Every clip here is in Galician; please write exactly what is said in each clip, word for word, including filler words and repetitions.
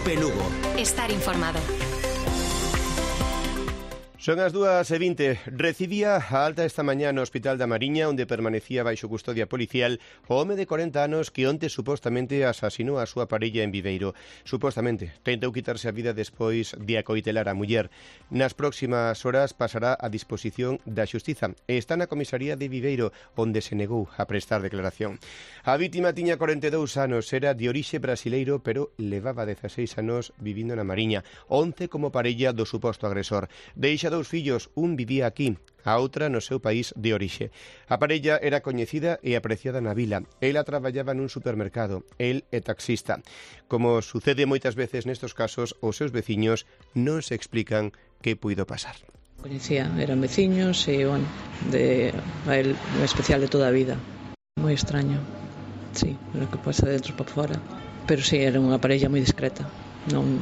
Cope Lugo. Estar informado. Son as dúas e vinte. Recibía a alta esta mañá no Hospital da Mariña, onde permanecía baixo custodia policial o home de corenta anos que onte supostamente asasinou a súa parella en Viveiro. Supostamente tentou quitarse a vida despois de acoitelar a muller. Nas próximas horas pasará a disposición da Xustiza e está na comisaría de Viveiro, onde se negou a prestar declaración. A vítima tiña corenta e dous anos, era de orixe brasileiro, pero levaba dezaseis anos vivindo na Mariña, once como parella do suposto agresor. Deixa dous fillos, un vivía aquí, a outra no seu país de orixe. A parella era coñecida e apreciada na vila. Ela traballaba nun supermercado, el é taxista. Como sucede moitas veces nestos casos, os seus veciños non se explican que puido pasar. Coñecía, eran veciños e, bueno, de, a él en especial de toda a vida. Moi extraño, sí, lo que pasa dentro para fora. Pero sí, era unha parella moi discreta. Non...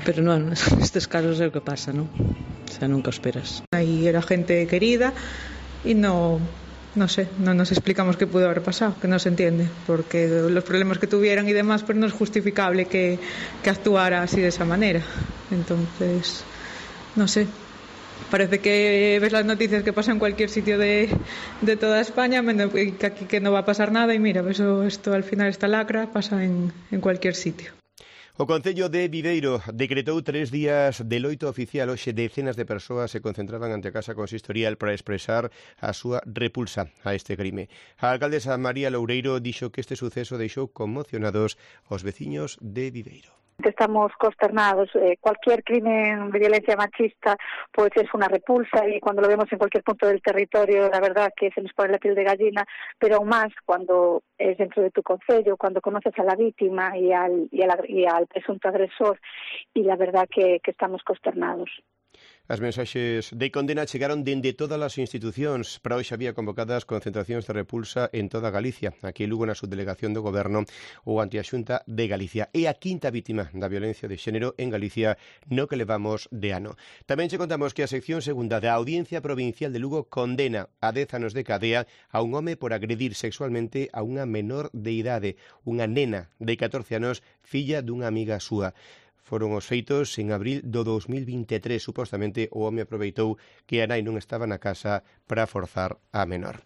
Pero non, nestes casos é o que pasa, non? O sea, nunca o esperas. Aí era gente querida e no, no sé, non nos explicamos que pudo haber pasado, que non se entiende, porque los problemas que tuvieran y demás, pues no es justificable que, que actuara así de esa manera. Entonces, no sé, parece que ves las noticias que pasan en cualquier sitio de, de toda España, que aquí que no va a pasar nada, y mira, eso, esto al final, esta lacra pasa en, en cualquier sitio. O Concello de Viveiro decretou tres días de loito oficial. Hoxe decenas de persoas se concentraban ante a Casa Consistorial para expresar a súa repulsa a este crime. A alcaldesa María Loureiro dixo que este suceso deixou conmocionados os veciños de Viveiro. Estamos consternados. Eh, cualquier crimen de violencia machista pues es una repulsa, y cuando lo vemos en cualquier punto del territorio, la verdad que se nos pone la piel de gallina, pero aún más cuando es dentro de tu concello, cuando conoces a la víctima y al, y al, y al presunto agresor, y la verdad que, que estamos consternados. As mensaxes de condena chegaron dende todas as institucións. Para hoxe había convocadas concentracións de repulsa en toda Galicia. Aquí en Lugo, na subdelegación do Goberno ou ante a Xunta de Galicia. É a quinta vítima da violencia de xénero en Galicia no que levamos de ano. Tamén che contamos que a sección segunda da Audiencia Provincial de Lugo condena a dez anos de cadea a un home por agredir sexualmente a unha menor de idade, unha nena de catorce anos, filla dunha amiga súa. Foron os feitos en abril do dos mil vinte e tres. Supostamente o home aproveitou que a nai non estaba na casa para forzar a menor.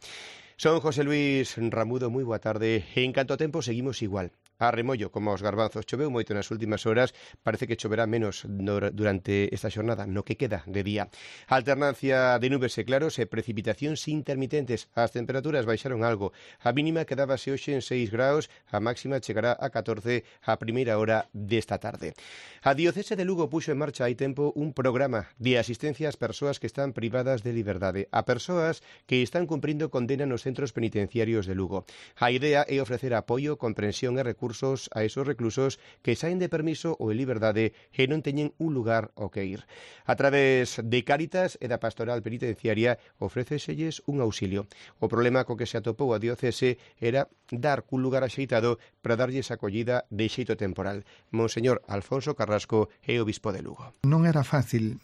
Son José Luis Ramudo, moi boa tarde. En canto a tempo seguimos igual. A remollo, como os garbanzos. Choveu moito nas últimas horas, parece que choverá menos durante esta xornada, no que queda de día. Alternancia de nubes e claros e precipitacións intermitentes. As temperaturas baixaron algo. A mínima quedábase hoxe en seis graus, a máxima chegará a catorce a primeira hora desta tarde. A Diocese de Lugo puxo en marcha hai tempo un programa de asistencia ás persoas que están privadas de liberdade, a persoas que están cumprindo condena nos centros penitenciarios de Lugo. A idea é ofrecer apoio, comprensión e recursos a esos reclusos que saen de permiso ou en liberdade e non teñen un lugar ao que ir. A través de Cáritas e da Pastoral Penitenciaria ofréceselles un auxilio. O problema co que se atopou a diocese era dar un lugar axeitado para darlles acollida de xeito temporal. Monseñor Alfonso Carrasco é o bispo de Lugo. Non era fácil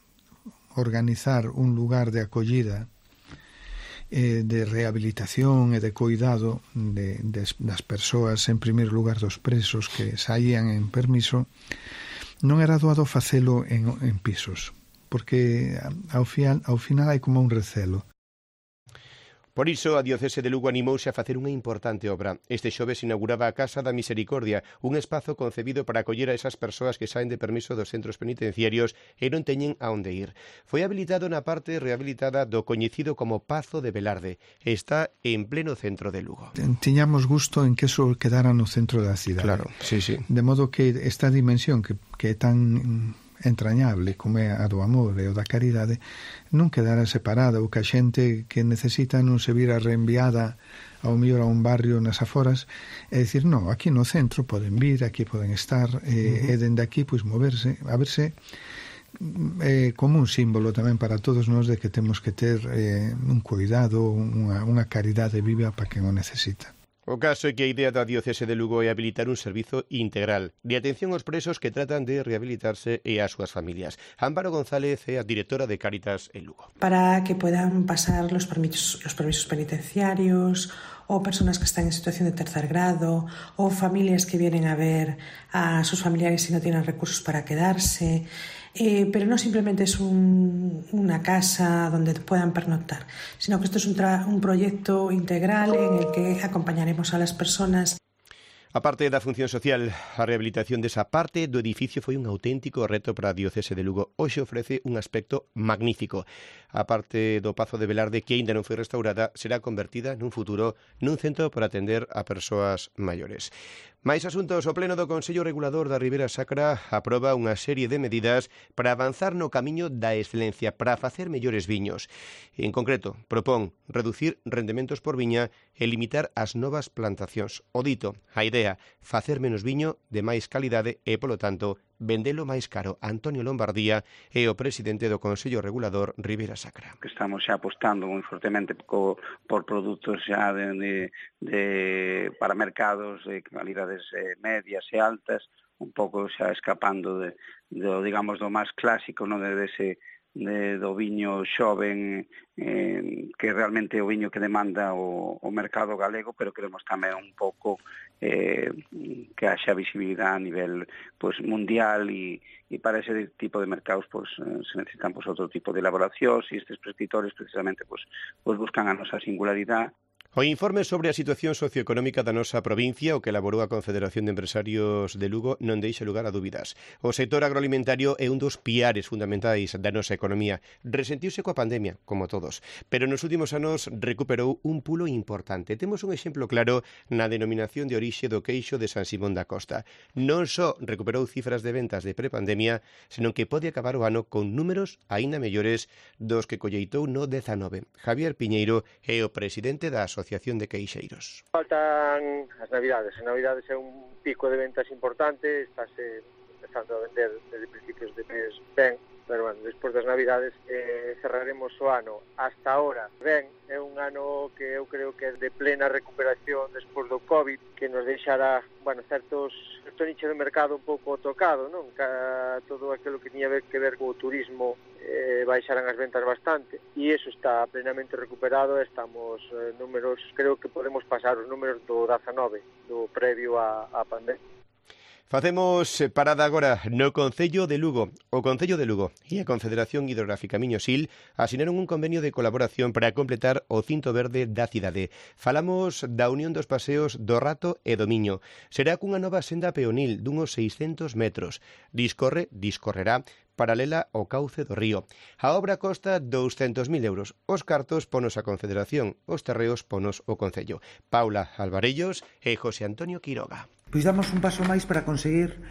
organizar un lugar de acollida, de rehabilitación e de cuidado de, de, das persoas, en primeiro lugar dos presos que saían en permiso. Non era doado facelo en, en pisos, porque ao final, ao final hai como un recelo. Por iso, a Diocese de Lugo animouse a facer unha importante obra. Este xoves inauguraba a Casa da Misericordia, un espazo concebido para acoller a esas persoas que saen de permiso dos centros penitenciarios e non teñen a onde ir. Foi habilitado na parte rehabilitada do coñecido como Pazo de Velarde. Está en pleno centro de Lugo. Tiñamos gusto en que eso quedara no centro da cidade. Claro, sí, sí. De modo que esta dimensión que, que é tan entrañable como é a do amor e o da caridade non quedara separada, ou que a xente que necesita non se vira reenviada ao mellor a un barrio nas aforas, é dicir, non, aquí no centro poden vir, aquí poden estar, e, uh-huh. e dende aquí pois moverse, a verse eh, como un símbolo tamén para todos nós de que temos que ter eh, un cuidado, unha, unha caridade viva para quen o necesita. O caso é que a idea da Diocese de Lugo é habilitar un servizo integral de atención aos presos que tratan de rehabilitarse e ás súas familias. Amparo González é a directora de Cáritas en Lugo. Para que puedan pasar los permisos, los permisos penitenciarios, o personas que están en situación de tercer grado, o familias que vienen a ver a sus familiares y no tienen recursos para quedarse. Eh, pero no simplemente es un, una casa donde puedan pernoctar, sino que esto es un, tra- un proyecto integral en el que acompañaremos a las personas. A parte da función social, a rehabilitación desa parte do edificio foi un auténtico reto para a Diocese de Lugo. Hoxe ofrece un aspecto magnífico. A parte do Pazo de Velarde, que aínda non foi restaurada, será convertida nun futuro nun centro para atender a persoas maiores. Mais asuntos, o Pleno do Consello Regulador da Ribera Sacra aproba unha serie de medidas para avanzar no camiño da excelencia, para facer mellores viños. En concreto, propón reducir rendementos por viña e limitar as novas plantacións. O dito, a idea, facer menos viño de máis calidade e, polo tanto, vendelo máis caro. Antonio Lombardía é o presidente do Consello Regulador Ribera Sacra. Que estamos xa apostando moi fortemente co, por produtos xa de, de, de, para mercados de calidades eh, medias e altas, un pouco xa escapando de, de digamos, do máis clásico, non de ese de, do viño xoven, eh, que realmente é o viño que demanda o, o mercado galego, pero queremos tamén un pouco eh, que haxa visibilidade a nivel pues, mundial e, e para ese tipo de mercados pues, se necesitan pues, outro tipo de elaboracións e estes prescritores precisamente pues, pues buscan a nosa singularidade. O informe sobre a situación socioeconómica da nosa provincia, o que elaborou a Confederación de Empresarios de Lugo, non deixa lugar a dúbidas. O sector agroalimentario é un dos piares fundamentais da nosa economía. Resentiuse coa pandemia, como todos, pero nos últimos anos recuperou un pulo importante. Temos un exemplo claro na denominación de orixe do queixo de San Simón da Costa. Non só recuperou cifras de ventas de prepandemia, senón que pode acabar o ano con números aínda mellores dos que colleitou no dezanove. Javier Piñeiro é o presidente da Asociación Asociación de Queixeiros. Faltan as Navidades. As Navidades é un pico de ventas importante, estáse empezando a vender desde principios de mes ben, pero bueno, despois das Navidades eh, cerraremos o ano. Hasta ahora, ben, é un ano que eu creo que é de plena recuperación despois do COVID, que nos deixará, bueno, certos certo nicho de mercado un pouco tocado, non? Ca, todo aquilo que tiña que ver co turismo eh, baixaran as ventas bastante e iso está plenamente recuperado. Estamos eh, números, creo que podemos pasar os números do dezanove, do previo á, á pandemia. Facemos parada agora no Concello de Lugo. O Concello de Lugo e a Confederación Hidrográfica Miño-Sil asinaron un convenio de colaboración para completar o cinto verde da cidade. Falamos da unión dos paseos do Rato e do Miño. Será cunha nova senda peonil dunhos seiscentos metros. Discorre, discorrerá paralela ao cauce do río. A obra costa douscentos mil euros. Os cartos ponos a Confederación, os terreos ponos o Concello. Paula Alvarellos e José Antonio Quiroga. Pois damos un paso máis para conseguir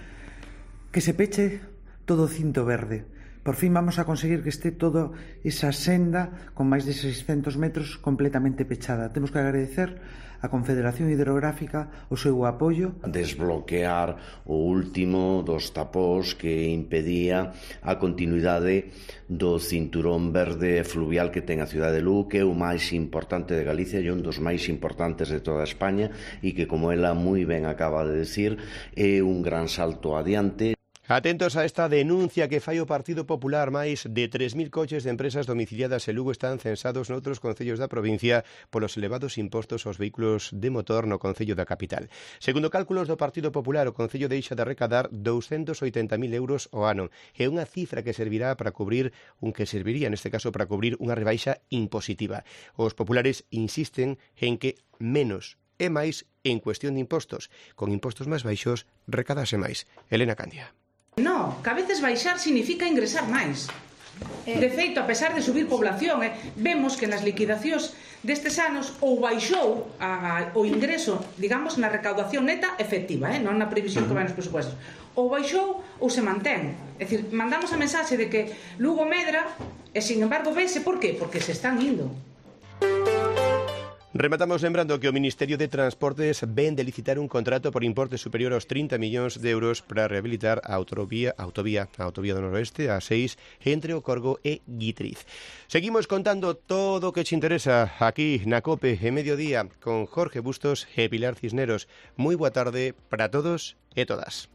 que se peche todo o cinto verde. Por fin vamos a conseguir que este toda esa senda con máis de seiscentos metros completamente pechada. Temos que agradecer a Confederación Hidrográfica o seu apoio. Desbloquear o último dos tapós que impedía a continuidade do cinturón verde fluvial que ten a cidade de Lugo, que é o máis importante de Galicia e un dos máis importantes de toda España e que, como ela moi ben acaba de decir, é un gran salto adiante. Atentos a esta denuncia que fai o Partido Popular. Máis de tres mil coches de empresas domiciliadas en Lugo están censados noutros concellos da provincia polos elevados impostos aos vehículos de motor no concello da capital. Segundo cálculos do Partido Popular, o concello deixa de recadar douscentos oitenta mil euros ao ano. É unha cifra que servirá para cubrir un que serviría, neste caso, para cubrir unha rebaixa impositiva. Os populares insisten en que menos é máis en cuestión de impostos. Con impostos máis baixos, recadase máis. Elena Candia. No, que a veces baixar significa ingresar máis. De feito, a pesar de subir población, eh, vemos que nas liquidacións destes anos ou baixou a, o ingreso, digamos, na recaudación neta efectiva, eh, non na previsión que vai nos presupuestos. Ou baixou ou se mantén. É dicir, mandamos a mensaxe de que Lugo medra e, sin embargo, vese por qué? Porque se están indo. Rematamos lembrando que o Ministerio de Transportes ven de licitar un contrato por importe superior aos trinta millóns de euros para rehabilitar a autovía, autovía, a autovía do Noroeste, a seis, entre o Corgo e Guitriz. Seguimos contando todo o que te interesa aquí na COPE en Mediodía con Jorge Bustos e Pilar Cisneros. Moi boa tarde para todos e todas.